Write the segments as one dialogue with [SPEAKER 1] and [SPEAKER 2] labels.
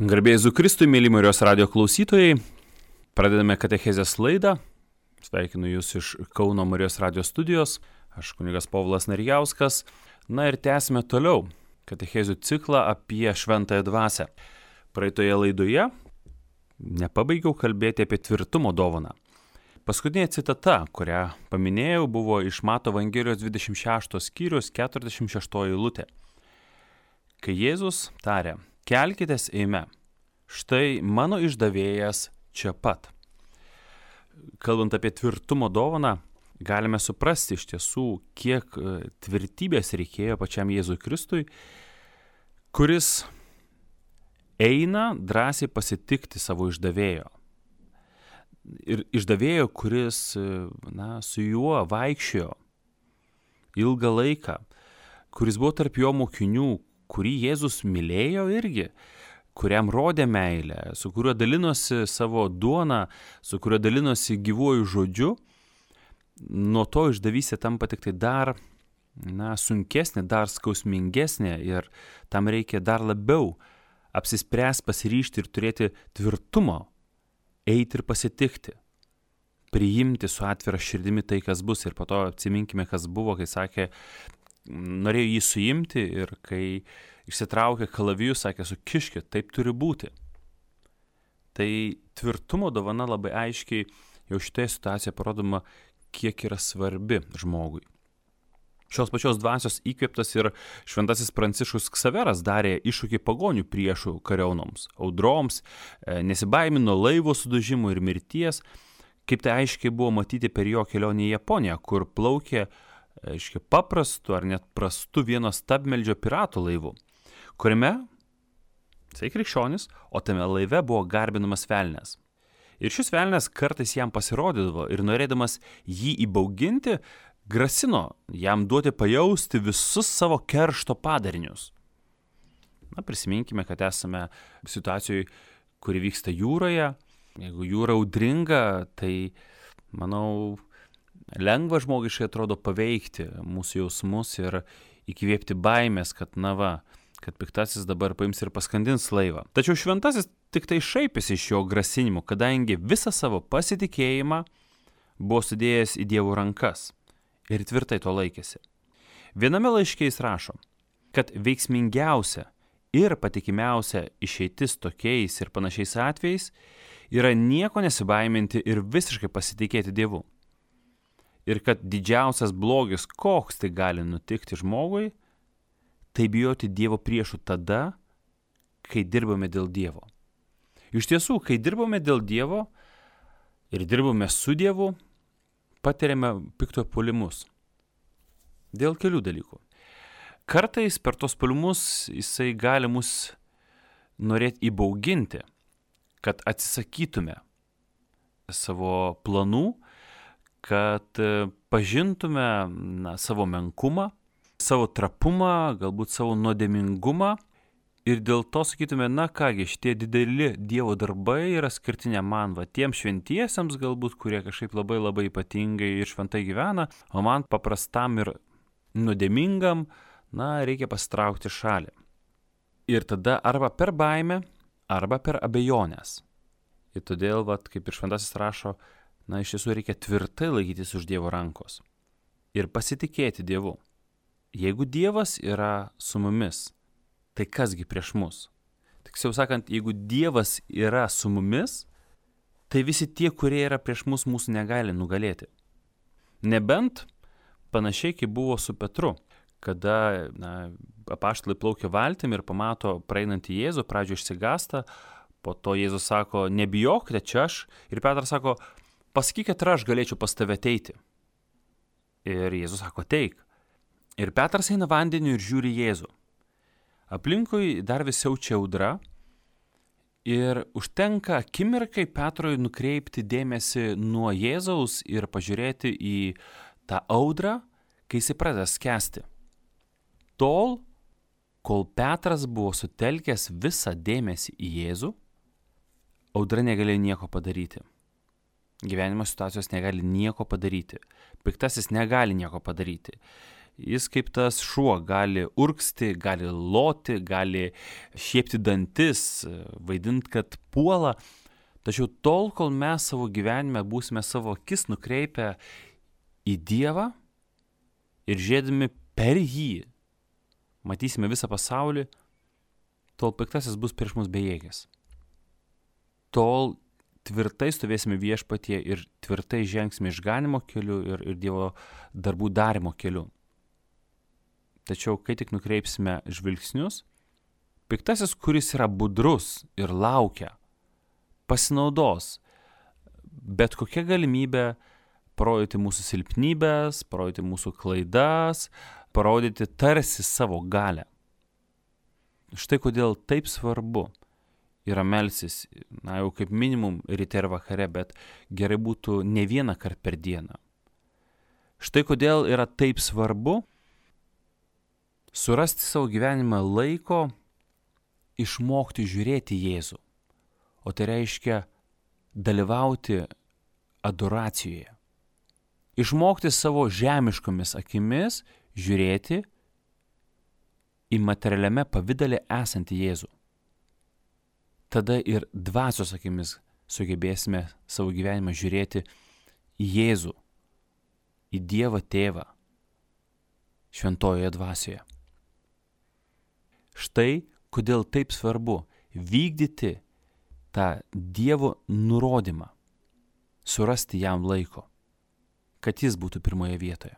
[SPEAKER 1] Garbė Jėzui Kristui, mėly Marijos radijo klausytojai, pradedame katechezės laidą. Sveikinu Jūs iš Kauno Marijos radijo studijos, aš kunigas Povilas Narijauskas. Na ir tęsime toliau katechezių ciklą apie šventąją dvasią. Praeitoje laidoje nepabaigiau kalbėti apie tvirtumo dovaną. Paskutinė citata, kurią paminėjau, buvo iš Mato Evangelijos 26 skyrius 46 eilutė. Kai Jėzus tarė: kelkitės eime, štai mano išdavėjas čia pat. Kalbant apie tvirtumo dovaną, galime suprasti iš tiesų, kiek tvirtybės reikėjo pačiam Jėzui Kristui, kuris eina drąsiai pasitikti savo išdavėjo. Ir išdavėjo, kuris su juo vaikščiojo ilgą laiką, kuris buvo tarp jo mokinių, kurį Jėzus mylėjo irgi, kuriam rodė meilę, su kuriuo dalinosi savo duoną, su kuriuo dalinosi gyvuoju žodžiu, nuo to išdavystė tampa tik tai dar sunkesnė, dar skausmingesnė ir tam reikia dar labiau apsispręs, pasiryžti ir turėti tvirtumo, eiti ir pasitikti, priimti su atvira širdimi tai, kas bus. Ir po to atsiminkime, kas buvo, kai sakė, norėjo jį suimti ir kai išsitraukė kalavijus, sakė, sukiškit, taip turi būti. Tai tvirtumo dovana labai aiškiai jau šitoje situacijoje parodoma, kiek yra svarbi žmogui. Šios pačios dvasios įkvėptas ir šventasis Pranciškus Ksaveras darė iššūkį pagonių priešų kariaunoms, audroms, nesibaimino laivo sudužimų ir mirties, kaip tai aiškiai buvo matyti per jo kelionę į Japoniją, kur plaukė paprastu ar net prastu vieno stabmeldžio piratų laivu, kuriame, jisai krikščionis, o tame laive buvo garbinamas velnias. Ir šis velnias kartais jam pasirodydavo ir norėdamas jį įbauginti, grasino jam duoti pajausti visus savo keršto padarinius. Prisiminkime, kad esame situacijoje, kuri vyksta jūroje. Jeigu jūra audringa, tai, manau, lengva žmogiškai atrodo paveikti mūsų jausmus ir įkvėpti baimės, kad kad piktasis dabar paims ir paskandins laivą. Tačiau šventasis tik tai šaipėsi iš jo grasinimų, kadangi visą savo pasitikėjimą buvo sudėjęs į Dievo rankas ir tvirtai to laikėsi. Viename laiške jis rašo, kad veiksmingiausia ir patikimiausia išeitis tokiais ir panašiais atvejais yra nieko nesibaiminti ir visiškai pasitikėti Dievu. Ir kad didžiausias blogis, koks tai gali nutikti žmogui, tai bijoti Dievo priešų tada, kai dirbame dėl Dievo. Iš tiesų, kai dirbame dėl Dievo ir dirbame su Dievu, patiriame pikto puolimus. Dėl kelių dalykų. Kartais per tos puolimus jisai gali mus norėti įbauginti, kad atsisakytume savo planų, kad pažintume savo menkumą, savo trapumą, galbūt savo nuodėmingumą ir dėl to sakytume, kągi, šitie dideli Dievo darbai yra skirti ne man, tiems šventiesiems galbūt, kurie kažkaip labai labai ypatingai ir šventai gyvena, o man paprastam ir nuodėmingam, reikia pasitraukti šalį. Ir tada arba per baimę, arba per abejonės. Ir todėl, kaip ir šventasis rašo, iš tiesų reikia tvirtai laikytis už Dievo rankos ir pasitikėti Dievu. Jeigu Dievas yra su mumis, tai kasgi prieš mus? Tiksliau sakant, jeigu Dievas yra su mumis, tai visi tie, kurie yra prieš mus, mūsų negali nugalėti. Nebent panašiai kaip buvo su Petru, kada apaštalai plaukia valtim ir pamato praeinantį Jėzų, pradžioje išsigąsta, po to Jėzus sako, nebijokite, čia aš, ir Petras sako, pasakyk, kad aš galėčiau pas tave ateiti. Ir Jėzus sako, ateik. Ir Petras eina vandeniu ir žiūri Jėzų. Aplinkui dar vis siaučia audra ir užtenka akimirkai Petrui nukreipti dėmesį nuo Jėzaus ir pažiūrėti į tą audrą, kai jis pradeda skęsti. Tol, kol Petras buvo sutelkęs visą dėmesį į Jėzų, audra negalėjo nieko padaryti. Gyvenimo situacijos negali nieko padaryti. Piktasis negali nieko padaryti. Jis kaip tas šuo gali urgzti, gali loti, gali šiepti dantis, vaidinti, kad puola. Tačiau tol, kol mes savo gyvenime būsime savo akis nukreipę į Dievą ir žiūrėdami per jį, matysime visą pasaulį, tol piktasis bus prieš mus bejėgis. Tol tvirtai stovėsime viešpatyje ir tvirtai žengsime išganimo keliu ir Dievo darbų darimo keliu. Tačiau, kai tik nukreipsime žvilgsnius, piktasis, kuris yra budrus ir laukia, pasinaudos bet kokią galimybę parodyti mūsų silpnybės, parodyti mūsų klaidas, parodyti tarsi savo galią. Štai kodėl taip svarbu yra melsis, jau kaip minimum ryte ir vakare, bet gerai būtų ne vieną kartą per dieną. Štai kodėl yra taip svarbu surasti savo gyvenimą laiko išmokti žiūrėti Jėzų, o tai reiškia dalyvauti adoracijoje. Išmokti savo žemiškomis akimis žiūrėti į materialiame pavydale esantį Jėzų. Tada ir dvasios akimis sugebėsime savo gyvenimą žiūrėti į Jėzų, į Dievą Tėvą, šventojoje dvasioje. Štai kodėl taip svarbu vykdyti tą Dievo nurodymą, surasti jam laiko, kad jis būtų pirmoje vietoje.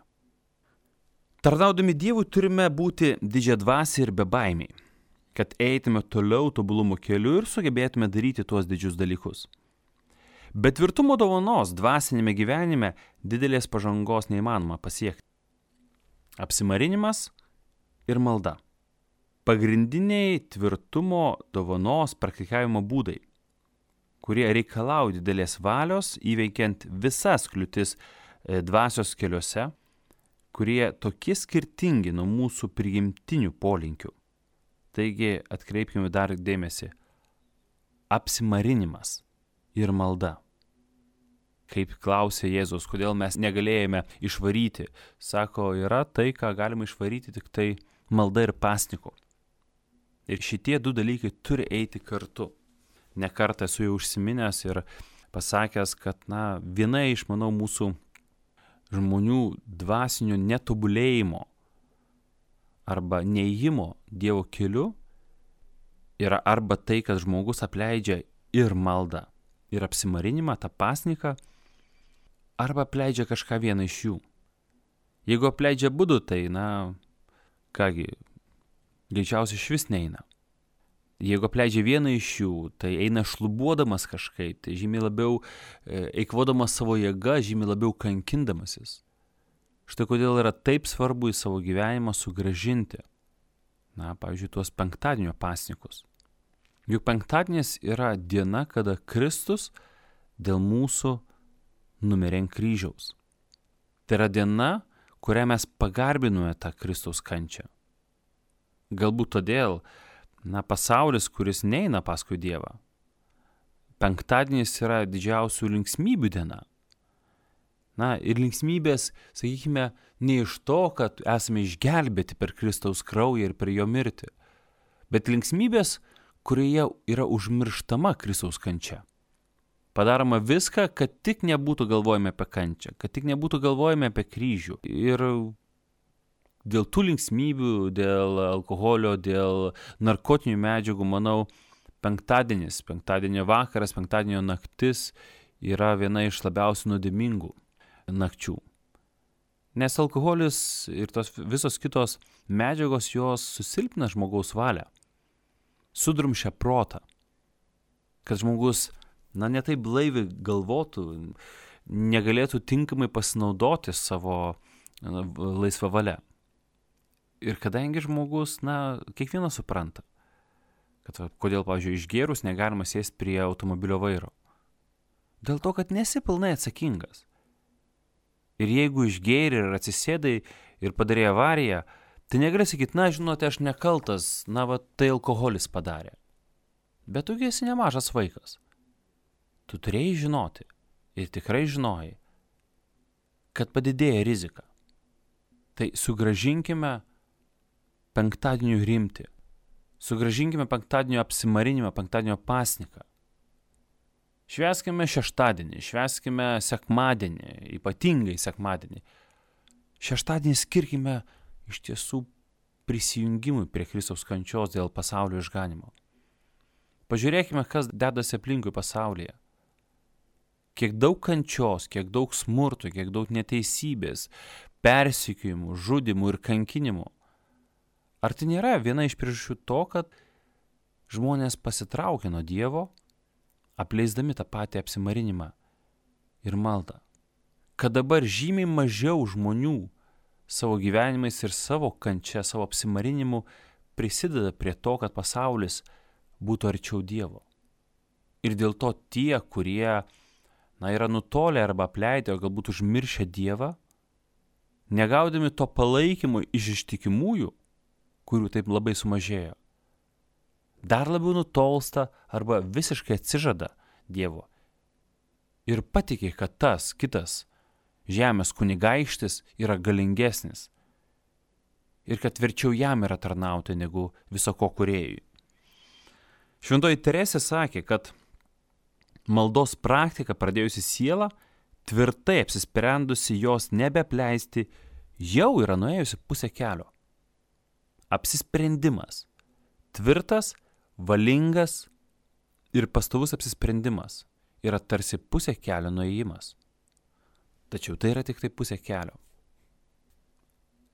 [SPEAKER 1] Tarnaudami Dievui turime būti didžiadvasiai ir bebaimiai, kad eitume toliau tobulumo keliu ir sugebėtume daryti tuos didžius dalykus. Bet tvirtumo dovanos dvasinėme gyvenime didelės pažangos neįmanoma pasiekti. Apsimarinimas ir malda. Pagrindiniai tvirtumo dovanos praktikavimo būdai, kurie reikalauja didelės valios įveikiant visas kliūtis dvasios keliuose, kurie tokie skirtingi nuo mūsų prigimtinių polinkių. Taigi atkreipkime dar dėmesį. Apsimarinimas ir malda. Kaip klausė Jėzus, kodėl mes negalėjome išvaryti. Sako, yra tai, ką galima išvaryti tik tai malda ir pasniku. Ir šitie du dalykai turi eiti kartu. Ne kartą esu jau užsiminęs ir pasakęs, kad viena iš, manau, mūsų žmonių dvasinio netobulėjimo arba neėjimo Dievo keliu yra arba tai, kad žmogus apleidžia ir maldą, ir apsimarinimą, tą pasniką, arba apleidžia kažką vieną iš jų. Jeigu apleidžia abudu, tai, greičiausiai išvis neina. Jeigu apleidžia vieną iš jų, tai eina šlubuodamas kažkaip, tai žymiai labiau eikvodamas savo jėgą, žymiai labiau kankindamasis. Štai kodėl yra taip svarbu į savo gyvenimą sugrąžinti, pavyzdžiui, tuos penktadienio pasnikus. Juk penktadienis yra diena, kada Kristus dėl mūsų numirė ant kryžiaus. Tai yra diena, kurią mes pagarbinome tą Kristaus kančią. Galbūt todėl, pasaulis, kuris neina paskui Dievą. Penktadienis yra didžiausių linksmybių diena. Ir linksmybės, sakykime, ne iš to, kad esame išgelbėti per Kristaus kraują ir per jo mirtį, bet linksmybės, kurioje yra užmirštama Kristaus kančia. Padaroma viską, kad tik nebūtų galvojame apie kančią, kad tik nebūtų galvojame apie kryžių. Ir dėl tų linksmybių, dėl alkoholio, dėl narkotinių medžiagų, manau, penktadienio vakaras, penktadienio naktis yra viena iš labiausiai nuodėmingų nakčių. Nes alkoholis ir tos visos kitos medžiagos, jos susilpina žmogaus valią, sudrumšia protą, kad žmogus, ne taip blaiviai galvotų, negalėtų tinkamai pasinaudoti savo laisvą valią. Ir kadangi žmogus, kiekvienas supranta, kad kodėl, pavyzdžiui, išgėrus negalima sėsti prie automobilio vairo. Dėl to, kad nesi pilnai atsakingas. Ir jeigu išgėri ir atsisėdai ir padarė avariją, tai negali sakyti, žinote, aš nekaltas, tai alkoholis padarė. Bet tu esi nemažas vaikas. Tu turėjai žinoti ir tikrai žinojai, kad padidėja rizika. Tai sugražinkime penktadienio rimtį, sugražinkime penktadienio apsimarinimą, penktadienio pasniką. Švęskime šeštadienį, švęskime sekmadienį, ypatingai sekmadienį. Šeštadienį skirkime iš tiesų prisijungimui prie Kristaus kančios dėl pasaulio išganimo. Pažiūrėkime, kas dedasi aplinkui pasaulyje. Kiek daug kančios, kiek daug smurto, kiek daug neteisybės, persekiojimų, žudimų ir kankinimų. Ar tai nėra viena iš priežasčių to, kad žmonės pasitraukė nuo Dievo, apleisdami tą patį apsimarinimą ir maldą? Kad dabar žymiai mažiau žmonių savo gyvenimais ir savo kančia, savo apsimarinimu prisideda prie to, kad pasaulis būtų arčiau Dievo. Ir dėl to tie, kurie yra nutolę arba apleidę, o galbūt užmiršę Dievą, negaudami to palaikymo iš ištikimųjų, kurių taip labai sumažėjo, dar labiau nutolsta arba visiškai atsižada Dievo ir patikė, kad tas kitas žemės kunigaikštis yra galingesnis ir kad verčiau jam yra tarnauti negu viso ko kūrėjui. Šventoji Teresė sakė, kad maldos praktika pradėjusi sielą, tvirtai apsisprendusi jos nebeapleisti, jau yra nuėjusi pusę kelio. Apsisprendimas. Tvirtas, valingas ir pastovus apsisprendimas yra tarsi pusė kelio nuėjimas. Tačiau tai yra tik tai pusė kelio.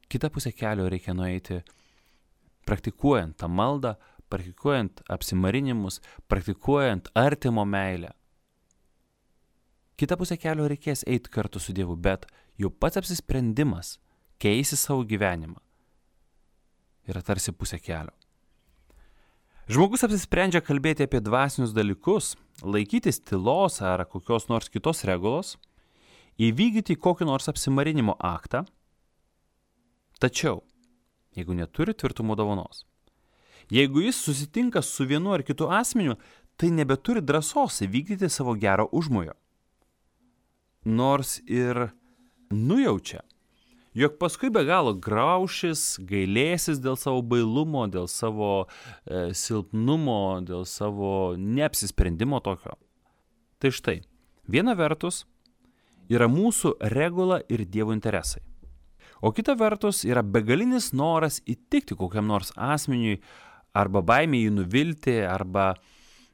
[SPEAKER 1] Kitą pusę kelio reikia nueiti praktikuojant tą maldą, praktikuojant apsimarinimus, praktikuojant artimo meilę. Kitą pusę kelio reikės eiti kartu su Dievu, bet jau pats apsisprendimas keisti savo gyvenimą yra tarsi pusė kelio. Žmogus apsisprendžia kalbėti apie dvasinius dalykus, laikytis tylos ar kokios nors kitos regulos, įvykdyti kokį nors apsimarinimo aktą, tačiau, jeigu neturi tvirtumo dovanos, jeigu jis susitinka su vienu ar kitu asmeniu, tai nebeturi drąsos įvykdyti savo gero užmojo. Nors ir nujaučia, jog paskui be galo graušis, gailėsis dėl savo bailumo, dėl savo silpnumo, dėl savo neapsisprendimo tokio. Tai štai, viena vertus yra mūsų regula ir Dievo interesai. O kita vertus yra begalinis noras įtikti kokiam nors asmeniui, arba baimė jį nuvilti, arba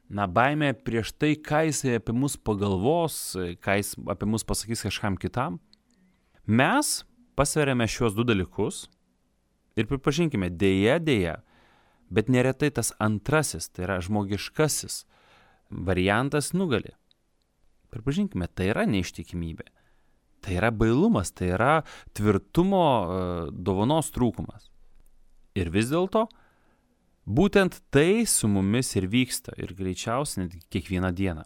[SPEAKER 1] baimė prieš tai, ką jisai apie mus pagalvos, ką jis apie mus pasakys kažkam kitam. Mes pasveriame šios du dalykus ir pripažinkime, dėja, bet neretai tas antrasis, tai yra žmogiškasis variantas nugali. Pripažinkime, tai yra neištikimybė. Tai yra bailumas, tai yra tvirtumo dovanos trūkumas. Ir vis dėlto, būtent tai su mumis ir vyksta ir greičiausiai net kiekvieną dieną.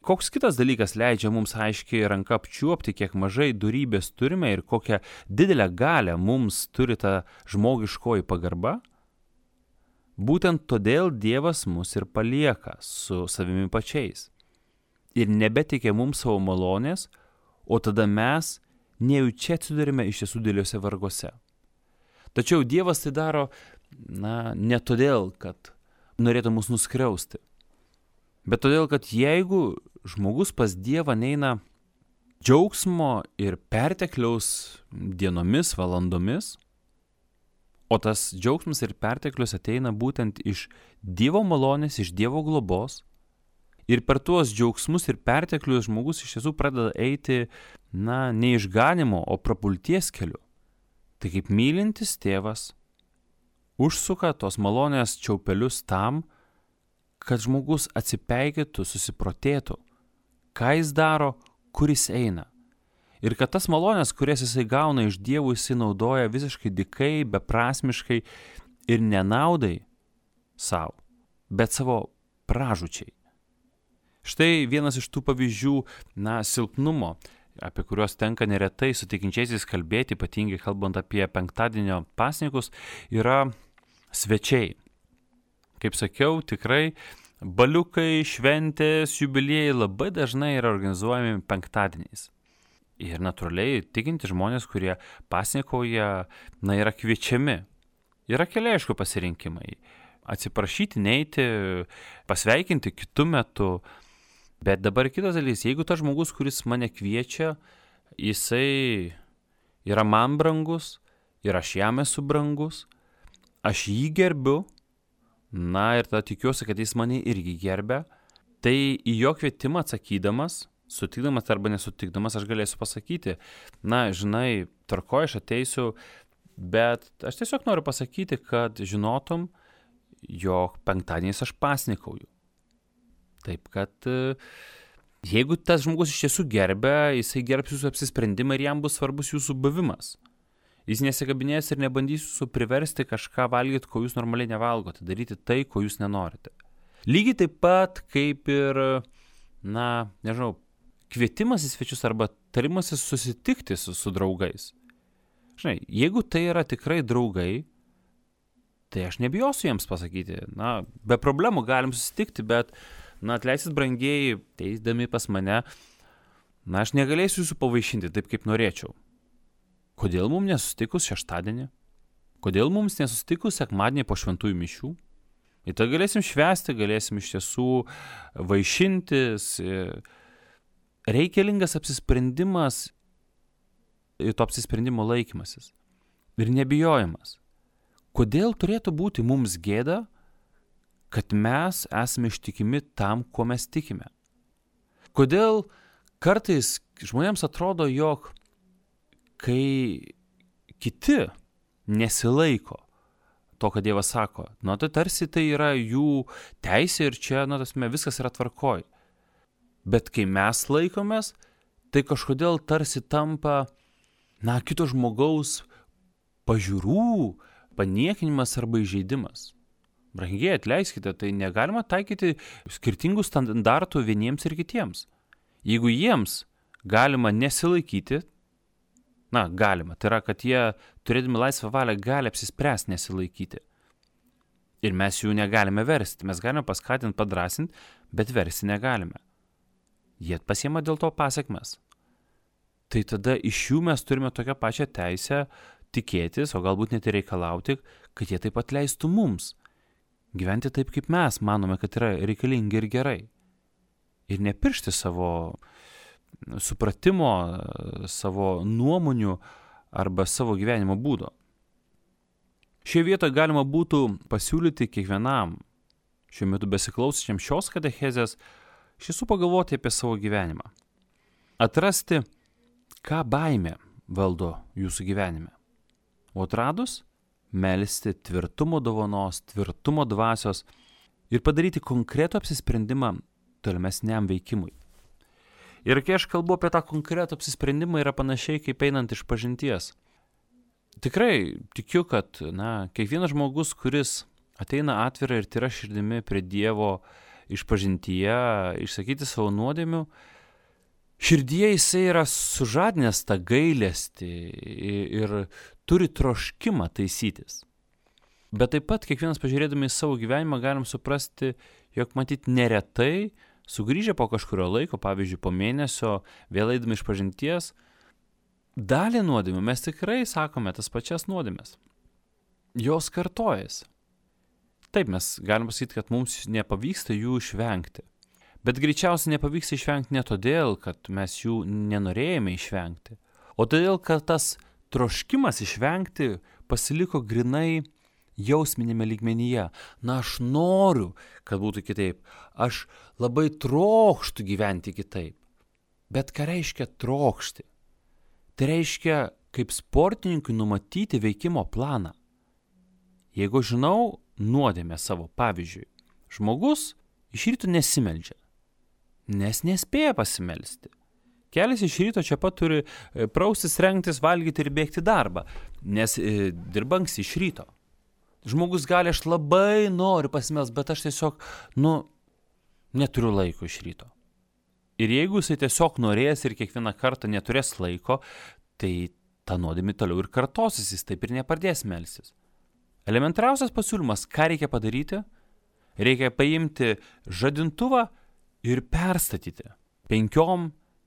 [SPEAKER 1] Koks kitas dalykas leidžia mums aiškiai ranka apčiuopti, kiek mažai dorybės turime ir kokią didelę galią mums turi ta žmogiškoji pagarba? Būtent todėl Dievas mus ir palieka su savimi pačiais ir nebetikė mums savo malonės, o tada mes nejučia atsidurime iš tiesų dideliuose varguose. Tačiau Dievas tai daro, ne todėl, kad norėtų mus nuskriausti, bet todėl, kad jeigu žmogus pas Dievą neina džiaugsmo ir pertekliaus dienomis, valandomis, o tas džiaugsmas ir perteklius ateina būtent iš Dievo malonės, iš Dievo globos, ir per tuos džiaugsmus ir perteklius žmogus iš tiesų pradeda eiti, ne išganimo, o prapulties keliu. Tai kaip mylintis tėvas užsuka tos malonės čiaupelius tam, kad žmogus atsipeikėtų, susiprotėtų, ką jis daro, kur jis eina. Ir kad tas malonės, kurias jisai gauna iš Dievo, jisai naudoja visiškai dykai, beprasmiškai ir nenaudai savo, bet savo pražūčiai. Štai vienas iš tų pavyzdžių, silpnumo, apie kuriuos tenka neretai su tikinčiaisiais kalbėti, ypatingai kalbant apie penktadienio pasnikus, yra svečiai. Kaip sakiau, tikrai baliukai, šventės, jubiliejai labai dažnai yra organizuojami penktadieniais. Ir natūraliai tikinti žmonės, kurie pasninkauja, yra kviečiami. Yra keli, aišku, pasirinkimai. Atsiprašyti, neiti, pasveikinti kitu metu. Bet dabar kitas dalykas, jeigu tas žmogus, kuris mane kviečia, jisai yra man brangus ir aš jam esu brangus, aš jį gerbiu, ir tada tikiuosi, kad jis mane irgi gerbia, tai į jo kvietimą atsakydamas, sutikdamas arba nesutikdamas, aš galėsiu pasakyti, žinai, tvarkoj, aš ateisiu, bet aš tiesiog noriu pasakyti, kad žinotum, jog penktadieniais aš pasninkauju. Taip, kad jeigu tas žmogus iš tiesų gerbia, jisai gerbs jūsų apsisprendimą ir jam bus svarbus jūsų buvimas. Jis nesikabinės ir nebandys jūsų priversti kažką valgyti, ko jūs normaliai nevalgote, daryti tai, ko jūs nenorite. Lygiai taip pat kaip ir, kvietimas į svečius arba tarimasis susitikti su draugais. Žinai, jeigu tai yra tikrai draugai, tai aš nebijosiu jiems pasakyti. Be problemų galim susitikti, bet, atleiskit brangieji, teisdami pas mane, aš negalėsiu jūsų pavaišinti taip, kaip norėčiau. Kodėl mums nesusitikus šeštadienį? Kodėl mums nesusitikus sekmadienį po šventųjų mišių? Ir tai galėsim švęsti, galėsim iš tiesų vaišintis. Reikalingas apsisprendimas ir to apsisprendimo laikymasis. Ir nebijojimas. Kodėl turėtų būti mums gėda, kad mes esame ištikimi tam, ko mes tikime? Kodėl kartais žmonėms atrodo, jog kai kiti nesilaiko to, ką Dievas sako, tai tarsi tai yra jų teisė ir čia, viskas yra tvarkoj. Bet kai mes laikomės, tai kažkodėl tarsi tampa, kito žmogaus pažiūrų paniekinimas arba įžeidimas. Brangiai, atleiskite, tai negalima taikyti skirtingų standartų vieniems ir kitiems. Jeigu jiems galima nesilaikyti, galima, tai yra, kad jie, turėdami laisvą valią, gali apsispręsti nesilaikyti. Ir mes jų negalime versti, mes galime paskatinti, padrasinti, bet versti negalime. Jie pasiema dėl to pasekmes. Tai tada iš jų mes turime tokią pačią teisę tikėtis, o galbūt net ir reikalauti, kad jie taip pat leistų mums gyventi taip, kaip mes manome, kad yra reikalingi ir gerai. Ir nepiršti savo supratimo, savo nuomonių arba savo gyvenimo būdo. Šioje vietoje galima būtų pasiūlyti kiekvienam šiuo metu besiklausančiam šios katechezės iš tiesų pagalvoti apie savo gyvenimą. Atrasti, ką baimė valdo jūsų gyvenime. O atradus, melsti tvirtumo dovanos, tvirtumo dvasios ir padaryti konkretų apsisprendimą tolimesniam veikimui. Ir kai aš kalbu apie tą konkretų apsisprendimą, yra panašiai kaip einant iš pažinties. Tikrai tikiu, kad kiekvienas žmogus, kuris ateina atvira ir tyra širdimi prie Dievo išpažintyje, išsakyti savo nuodėmių, širdyje jisai yra sužadinęs tą gailestį ir turi troškimą taisytis. Bet taip pat kiekvienas pažiūrėdami į savo gyvenimą galim suprasti, jog matyt neretai sugrįžę po kažkurio laiko, pavyzdžiui po mėnesio, vėl eidami išpažinties, dalį nuodėmių mes tikrai sakome tas pačias nuodėmes. Jos kartojasi. Taip, mes galim pasakyti, kad mums nepavyksta jų išvengti. Bet greičiausiai nepavyksta išvengti ne todėl, kad mes jų nenorėjome išvengti, o todėl, kad tas troškimas išvengti pasiliko grinai jausminėme lygmenyje. Aš noriu, kad būtų kitaip. Aš labai trokštu gyventi kitaip. Bet ką reiškia trokšti? Tai reiškia, kaip sportininkui numatyti veikimo planą. Jeigu žinau nuodėmę savo, pavyzdžiui, žmogus iš ryto nesimeldžia, nes nespėja pasimelsti. Kelias iš ryto čia pat turi praustis, rengtis, valgyti ir bėgti darbą, nes dirba anksti iš ryto. Žmogus gali, aš labai noriu pasimelsti, bet aš tiesiog, neturiu laiko iš ryto. Ir jeigu jisai tiesiog norės ir kiekvieną kartą neturės laiko, tai ta nuodėmė toliau ir kartosis, jis taip ir nepradės melstis. Elementariausias pasiūlymas, ką reikia padaryti? Reikia paimti žadintuvą ir perstatyti 5,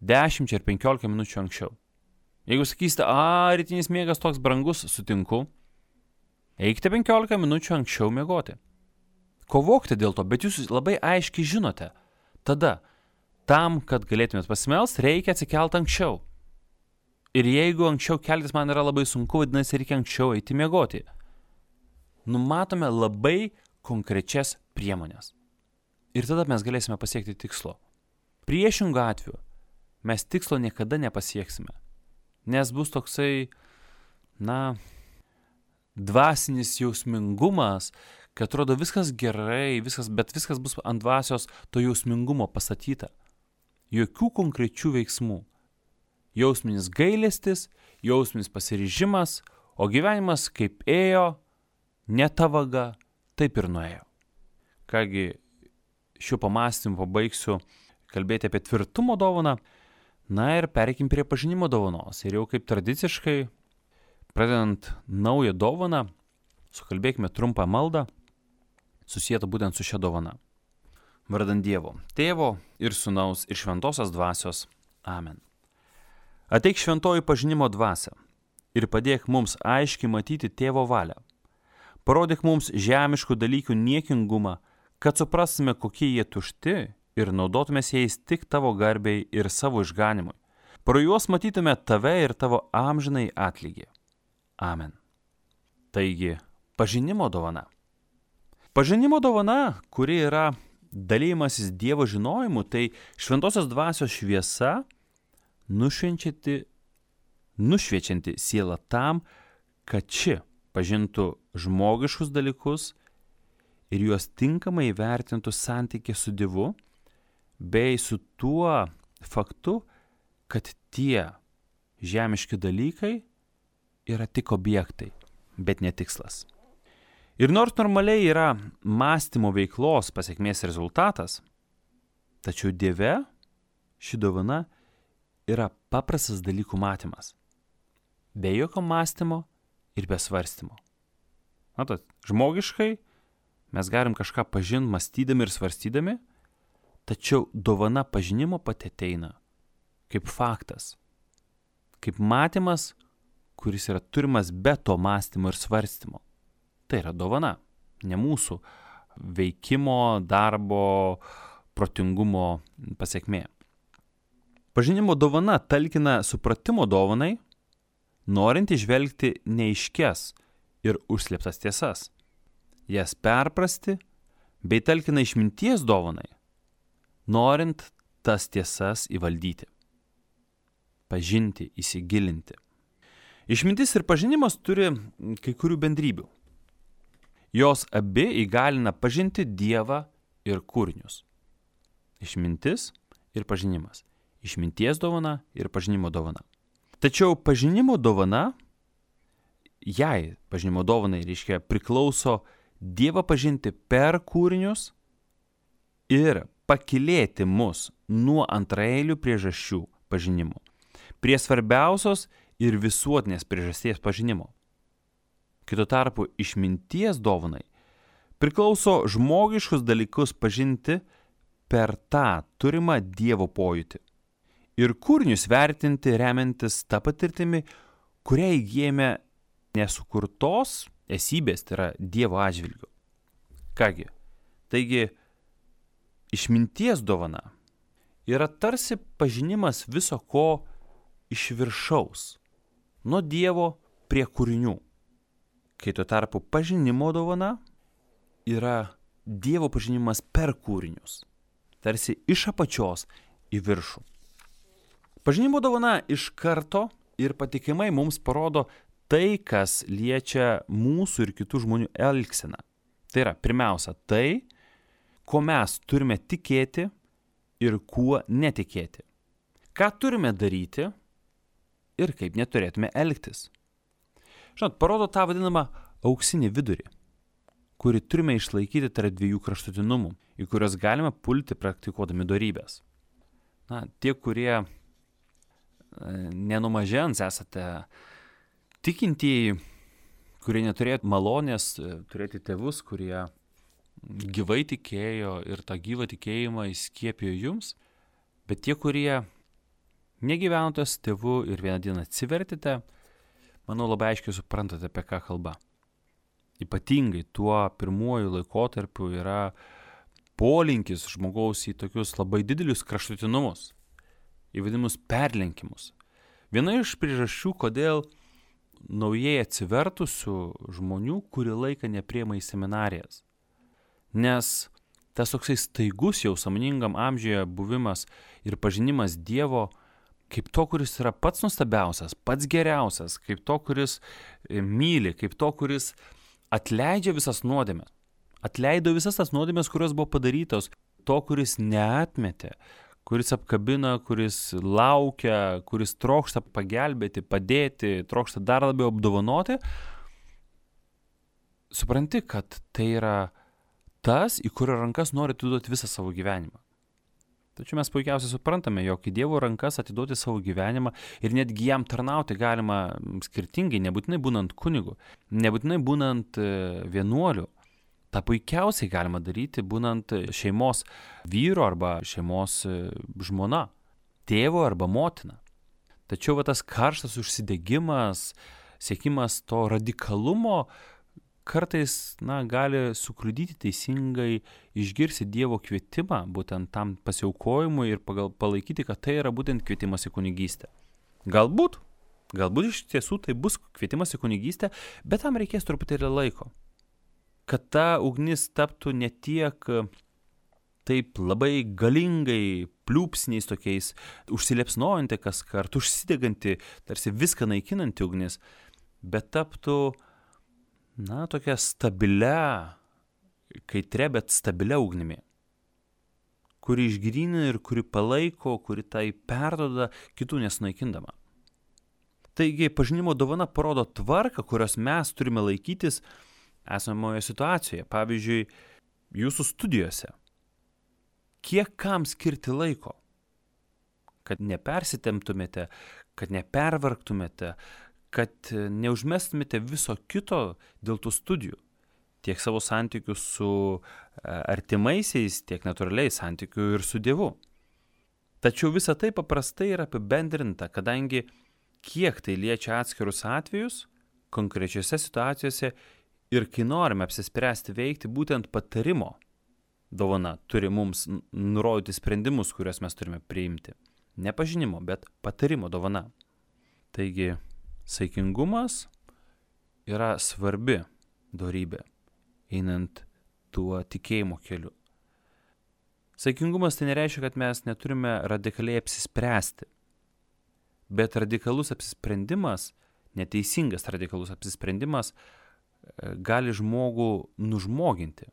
[SPEAKER 1] 10 ar 15 minučių anksčiau. Jeigu sakysite, rytinis miegas toks brangus, sutinku, eikite 15 minučių anksčiau miegoti. Kovokite dėl to, bet jūs labai aiškiai žinote. Tada, tam, kad galėtumėt pasimelst, reikia atsikelti anksčiau. Ir jeigu anksčiau keltis man yra labai sunku, vadinasi, reikia anksčiau eiti miegoti. Numatome labai konkrečias priemonės. Ir tada mes galėsime pasiekti tikslo. Priešingų atveju mes tikslo niekada nepasieksime. Nes bus toksai, dvasinis jausmingumas, kad atrodo viskas gerai, bet viskas bus ant dvasios to jausmingumo pastatyta. Jokių konkrečių veiksmų. Jausminis gailestis, jausminis pasiryžimas, o gyvenimas kaip ėjo, ne ta vaga, taip ir nuėjo. Kągi, šiuo pamąstymu pabaigsiu kalbėti apie tvirtumo dovaną, ir pereikim prie pažinimo dovanos. Ir jau kaip tradiciškai, pradedant naują dovaną, sukalbėkime trumpą maldą, susietą būtent su šia dovana. Vardan Dievo, Tėvo ir Sūnaus ir Šventosios Dvasios. Amen. Ateik šventoji pažinimo dvasia ir padėk mums aiškiai matyti Tėvo valią. Parodyk mums žemiškų dalykų niekingumą, kad suprastume, kokie jie tušti ir naudotumės jais tik tavo garbei ir savo išganimui. Pro juos matytume tave ir tavo amžinai atlygį. Amen. Taigi, pažinimo dovana. Pažinimo dovana, kuri yra dalymasis Dievo žinojimu, tai Šventosios Dvasios šviesa, nušviečianti sielą tam, kad ši pažintų žmogiškus dalykus ir juos tinkamai vertintų santykį su Dievu, bei su tuo faktu, kad tie žemiški dalykai yra tik objektai, bet ne tikslas. Ir nors normaliai yra mąstymo veiklos pasekmės rezultatas, tačiau Dieve ši dovana yra paprastas dalykų matymas, be jokio mąstymo ir be svarstymo. Matot, žmogiškai mes galim kažką pažinti mąstydami ir svarstydami, tačiau dovana pažinimo pati ateina kaip faktas, kaip matymas, kuris yra turimas be to mąstymo ir svarstymo. Tai yra dovana, ne mūsų veikimo, darbo, protingumo pasekmė. Pažinimo dovana talkina supratimo dovanai, norint įžvelgti neaiškias ir užslėptas tiesas, jas perprasti, bei talkina išminties dovanai, norint tas tiesas įvaldyti, pažinti, įsigilinti. Išmintis ir pažinimas turi kai kurių bendrybių. Jos abi įgalina pažinti Dievą ir kūrinius. Išmintis ir pažinimas. Išminties dovana ir pažinimo dovana. Tačiau pažinimo dovana, jai pažinimo dovanai reiškia priklauso Dievą pažinti per kūrinius ir pakylėti mus nuo antraeilių priežasčių pažinimo prie svarbiausios ir visuotinės priežasties pažinimo. Kito tarpu išminties dovanai priklauso žmogiškus dalykus pažinti per tą turimą Dievo pojūtį ir kūrinius vertinti remiantis tą patirtimi, kurią įgijame nesukurtos esybės, tai yra Dievo atžvilgiu. Kągi, taigi išminties dovana yra tarsi pažinimas viso ko iš viršaus, nuo Dievo prie kūrinių. Kai tuo tarpu pažinimo dovana yra Dievo pažinimas per kūrinius, tarsi iš apačios į viršų. Pažinimo dovana iš karto ir patikimai mums parodo tai, kas liečia mūsų ir kitų žmonių elgseną. Tai yra, pirmiausia, tai, ko mes turime tikėti ir kuo netikėti. Ką turime daryti ir kaip neturėtume elgtis. Žinot, parodo tą vadinamą auksinį vidurį, kurį turime išlaikyti tarp dviejų kraštutinumų, į kuriuos galime pulti praktikuodami dorybės. Tie, kurie nenumažens esate tikintieji, kurie neturėtų malonės turėti tėvus, kurie gyvai tikėjo ir tą gyvą tikėjimą įskiepijo jums, bet tie, kurie negyvenote su tėvu ir vieną dieną atsivertite, manau, labai aiškiai suprantate, apie ką kalba. Ypatingai tuo pirmuoju laikotarpiu yra polinkis žmogaus į tokius labai didelius kraštutinumus, į vadinamus perlenkimus. Viena iš priežasčių, kodėl naujai atsivertusių žmonių kurį laiką nepriima į seminarijas. Nes tas toksai staigus jau sąmoningam amžiuje buvimas ir pažinimas Dievo kaip to, kuris yra pats nuostabiausias, pats geriausias, kaip to, kuris myli, kaip to, kuris atleidžia visas nuodėmes. Atleido visas tas nuodėmes, kurios buvo padarytos, to, kuris neatmetė, kuris apkabina, kuris laukia, kuris trokšta pagelbėti, padėti, trokšta dar labiau apdovanoti. Supranti, kad tai yra tas, į kurio rankas nori atiduoti visą savo gyvenimą. Tačiau mes puikiausiai suprantame, jog į Dievo rankas atiduoti savo gyvenimą ir netgi jam tarnauti galima skirtingai, nebūtinai būnant kunigu, nebūtinai būnant vienuoliu. Ta puikiausiai galima daryti būnant šeimos vyro arba šeimos žmona, tėvo arba motina. Tačiau tas karštas užsidegimas, siekimas to radikalumo kartais gali sukliudyti teisingai išgirsti Dievo kvietimą būtent tam pasiaukojimui ir palaikyti, kad tai yra būtent kvietimas į kunigystę. Galbūt iš tiesų tai bus kvietimas į kunigystę, bet tam reikės truputėlį laiko. Kad ta ugnis taptų ne tiek taip labai galingai, pliūpsniais tokiais, užsiliepsnojanti kaskart, užsideganti, tarsi viską naikinanti ugnis, bet taptų tokia stabilia, kaitria, bet stabilia ugnimi, kuri išgrynina ir kuri palaiko, kuri tai perduoda kitų nesunaikindama. Taigi, pažinimo dovana parodo tvarką, kurios mes turime laikytis esamoje situacijoje. Pavyzdžiui, jūsų studijose. Kiek kam skirti laiko? Kad nepersitemptumėte, kad nepervargtumėte, kad neužmestumėte viso kito dėl tų studijų. Tiek savo santykių su artimaisiais, tiek natūraliai santykių ir su Dievu. Tačiau visa tai paprastai yra apibendrinta, kadangi kiek tai liečia atskirus atvejus, konkrečiose situacijose ir kai norime apsispręsti veikti, būtent patarimo dovana turi mums nurodyti sprendimus, kuriuos mes turime priimti. Ne pažinimo, bet patarimo dovana. Taigi, saikingumas yra svarbi dorybė, einant tuo tikėjimo keliu. Saikingumas tai nereiškia, kad mes neturime radikaliai apsispręsti, bet radikalus apsisprendimas, neteisingas radikalus apsisprendimas gali žmogų nužmoginti.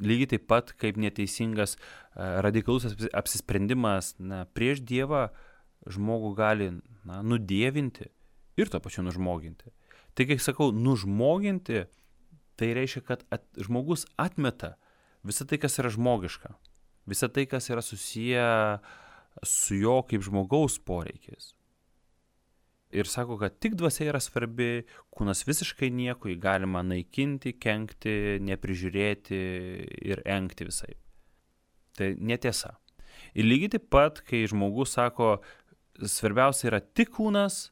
[SPEAKER 1] Lygiai taip pat, kaip neteisingas radikalus apsisprendimas prieš Dievą žmogų gali nudievinti ir to pačiu nužmoginti. Tai, kai sakau, nužmoginti, tai reiškia, kad žmogus atmeta visą tai, kas yra žmogiška, visą tai, kas yra susiję su jo kaip žmogaus poreikiais. Ir sako, kad tik dvasia yra svarbi, kūnas visiškai nieko, jį galima naikinti, kenkti, neprižiūrėti ir engti visai. Tai netiesa. Ir lygiai taip pat, kai žmogus sako, svarbiausia yra tik kūnas,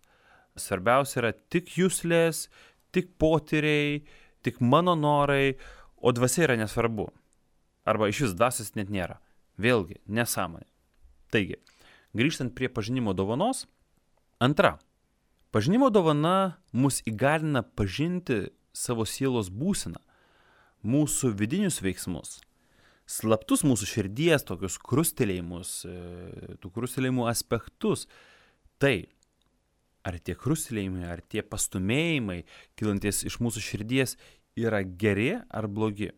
[SPEAKER 1] svarbiausia yra tik juslės, tik potyriai, tik mano norai, o dvasia yra nesvarbu. Arba iš vis dvasios net nėra. Vėlgi, nesąmonė. Taigi, grįžtant prie pažinimo dovanos, antra. Pažinimo dovana mus įgalina pažinti savo sielos būseną, mūsų vidinius veiksmus, slaptus mūsų širdies, tokius krustelėjimus, tų krustelėjimų aspektus. Tai, ar tie krustelėjimai, ar tie pastumėjimai, kylantis iš mūsų širdies, yra geri ar blogi.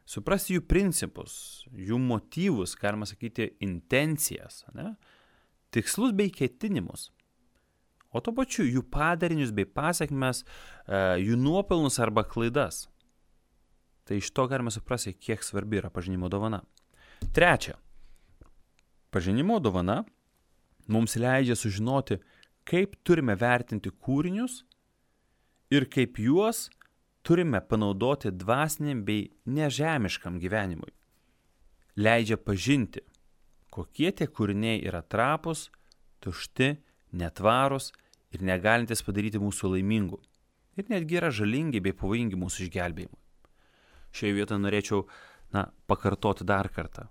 [SPEAKER 1] Suprasti jų principus, jų motyvus, galima sakyti, intencijas, tikslus bei ketinimus. O to pačiu jų padarinius bei pasiekmes, jų nuopelnus arba klaidas. Tai iš to galime suprasti, kiek svarbi yra pažinimo dovana. Trečia. Pažinimo dovana mums leidžia sužinoti, kaip turime vertinti kūrinius ir kaip juos turime panaudoti dvasiniam bei nežemiškam gyvenimui. Leidžia pažinti, kokie tie kūriniai yra trapūs, tušti, netvarūs ir negalintis padaryti mūsų laimingų. Ir netgi yra žalingi bei pavojingi mūsų išgelbėjimui. Šioje vietoje norėčiau pakartoti dar kartą,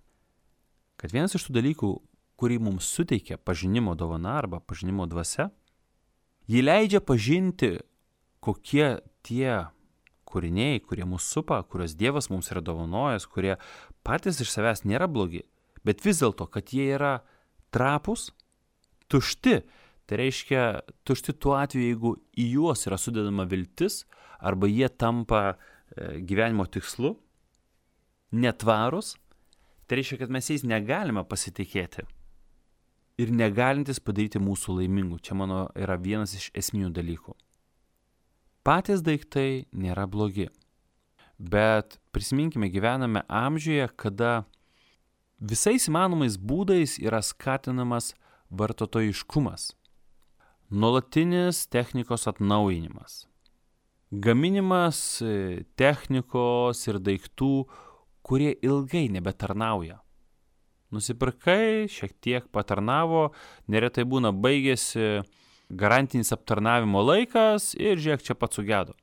[SPEAKER 1] kad vienas iš tų dalykų, kurį mums suteikia pažinimo dovana arba pažinimo dvasia, jį leidžia pažinti, kokie tie kūriniai, kurie mus supa, kuriuos Dievas mums yra dovanojęs, kurie patys iš savęs nėra blogi, bet vis dėlto, kad jie yra trapūs, tušti. Tai reiškia tušti tuo atveju, jeigu į juos yra sudedama viltis arba jie tampa gyvenimo tikslu, netvarus, tai reiškia, kad mes jais negalime pasitikėti ir negalintis padaryti mūsų laimingų. Čia mano yra vienas iš esminių dalykų. Patys daiktai nėra blogi, bet prisiminkime, gyvename amžiuje, kada visais įmanomais būdais yra skatinamas vartotojiškumas, nuolatinis technikos atnaujinimas, gaminimas technikos ir daiktų, kurie ilgai nebetarnauja. Nusipirkai, šiek tiek patarnavo, neretai būna baigėsi garantinis aptarnavimo laikas ir žiūrėk, čia pats sugedo.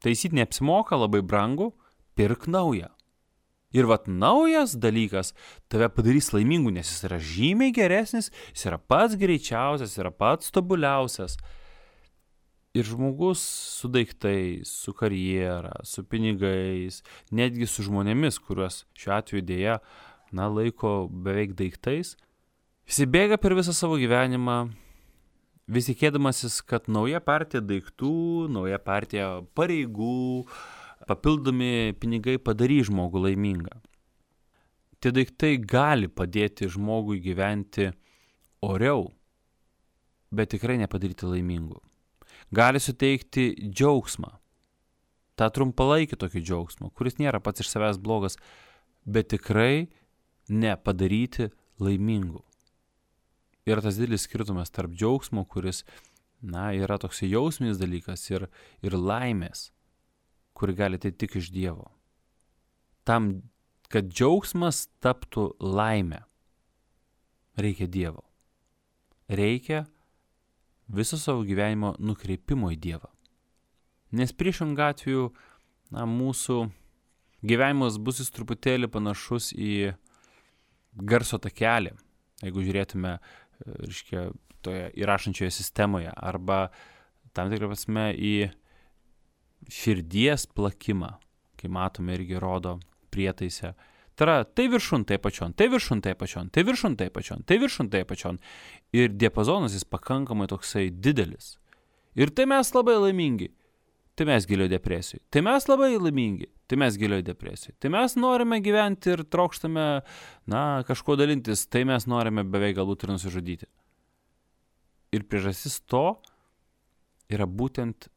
[SPEAKER 1] Taisyti neapsimoka, labai brangu, pirk naują. Ir naujas dalykas tave padarys laimingų, nes jis yra žymiai geresnis, jis yra pats greičiausias, yra pats tobuliausias. Ir žmogus su daiktais, su karjera, su pinigais, netgi su žmonėmis, kuriuos šiuo atveju dėja, laiko beveik daiktais, jis bėga per visą savo gyvenimą, vis tikėdamasis, kad nauja partija daiktų, nauja partija pareigų, papildomi pinigai padarys žmogų laimingą. Tie daiktai gali padėti žmogui gyventi oriau, bet tikrai nepadaryti laimingų. Gali suteikti džiaugsmą, tą trumpalaikį tokį džiaugsmą, kuris nėra pats iš savęs blogas, bet tikrai nepadaryti laimingų. Yra tas didelis skirtumas tarp džiaugsmo, kuris, yra toks jausminis dalykas ir laimės, kuri gali tai tik iš Dievo. Tam, kad džiaugsmas taptų laimę, reikia Dievo. Reikia viso savo gyvenimo nukreipimo į Dievą. Nes priešingų atveju, mūsų gyvenimas bus jis truputėlį panašus į garso takelį, jeigu žiūrėtume, toje įrašančioje sistemoje, arba tam tikrą prasme į širdies plakimą, kai matome irgi rodo prietaise. Tai viršun, tai pačion, tai viršun, tai pačion, tai viršun, tai pačion, tai viršun, tai pačion. Ir diapazonas jis pakankamai toksai didelis. Ir tai mes labai laimingi, tai mes gilioje depresijoje. Tai mes labai laimingi, tai mes gilioje depresijoje. Tai mes norime gyventi ir trokštame, kažko dalintis, tai mes norime beveik galbūt ir nusižudyti. Ir priežastis to yra būtent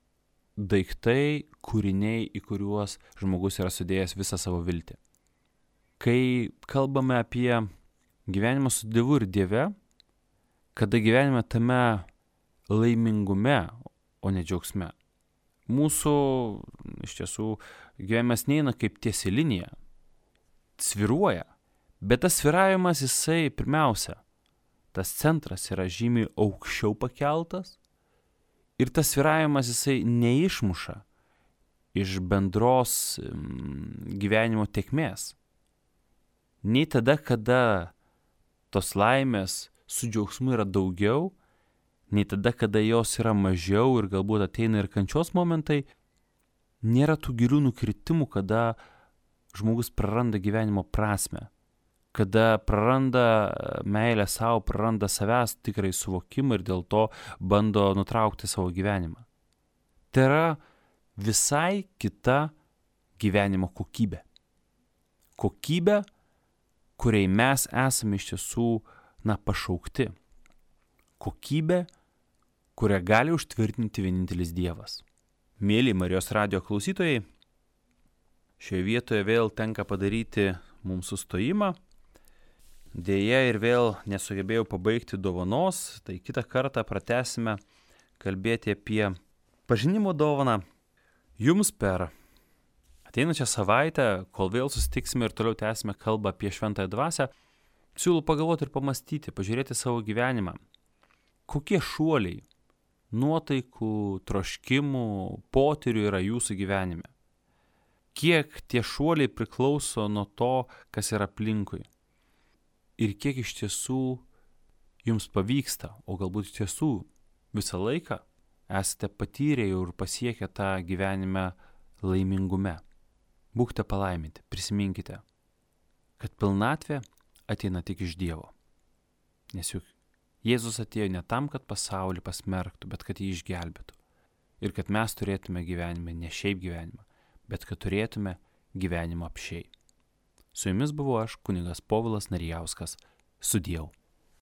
[SPEAKER 1] daiktai, kūriniai, į kuriuos žmogus yra sudėjęs visą savo viltį. Kai kalbame apie gyvenimą su Dievu ir Dieve, kada gyvenime tame laimingume, o ne džiaugsme, mūsų iš tiesų gyvenimas neina kaip tiesi linija, svyruoja, bet tas svyravimas jisai pirmiausia, tas centras yra žymiai aukščiau pakeltas, ir tas svyravimas jisai neišmuša iš bendros gyvenimo tėkmės. Nei tada, kada tos laimės su džiaugsmu yra daugiau, nei tada, kada jos yra mažiau ir galbūt ateina ir kančios momentai, nėra tų gilių nukritimų, kada žmogus praranda gyvenimo prasmę, kada praranda meilę savo, praranda savęs tikrai suvokimą ir dėl to bando nutraukti savo gyvenimą. Tai yra visai kita gyvenimo kokybė. Kokybė, kuriai mes esame iš tiesų, pašaukti. Kokybė, kurią gali užtvirtinti vienintelis Dievas. Mėly Marijos radijo klausytojai, šioje vietoje vėl tenka padaryti mums sustojimą. Deja ir vėl nesugebėjau pabaigti dovanos, tai kitą kartą pratęsime kalbėti apie pažinimo dovaną. Jums per ateinančią savaitę, kol vėl susitiksime ir toliau tęsime kalbą apie šventąją dvasią, Siūlau pagalvoti ir pamastyti, pažiūrėti savo gyvenimą. Kokie šuoliai, nuotaikų, troškimų, potyrių yra jūsų gyvenime? Kiek tie šuoliai priklauso nuo to, kas yra aplinkui? Ir kiek iš tiesų jums pavyksta, o galbūt iš tiesų visą laiką esate patyrę ir pasiekę tą gyvenime laimingume. Būkite palaiminti, prisiminkite, kad pilnatvė ateina tik iš Dievo. Nes juk Jėzus atėjo ne tam, kad pasaulį pasmerktų, bet kad jį išgelbėtų. Ir kad mes turėtume gyvenimą, ne šiaip gyvenimą, bet kad turėtume gyvenimą apsčiai. Su jumis buvau aš, kunigas Povilas Narijauskas. Sudieu.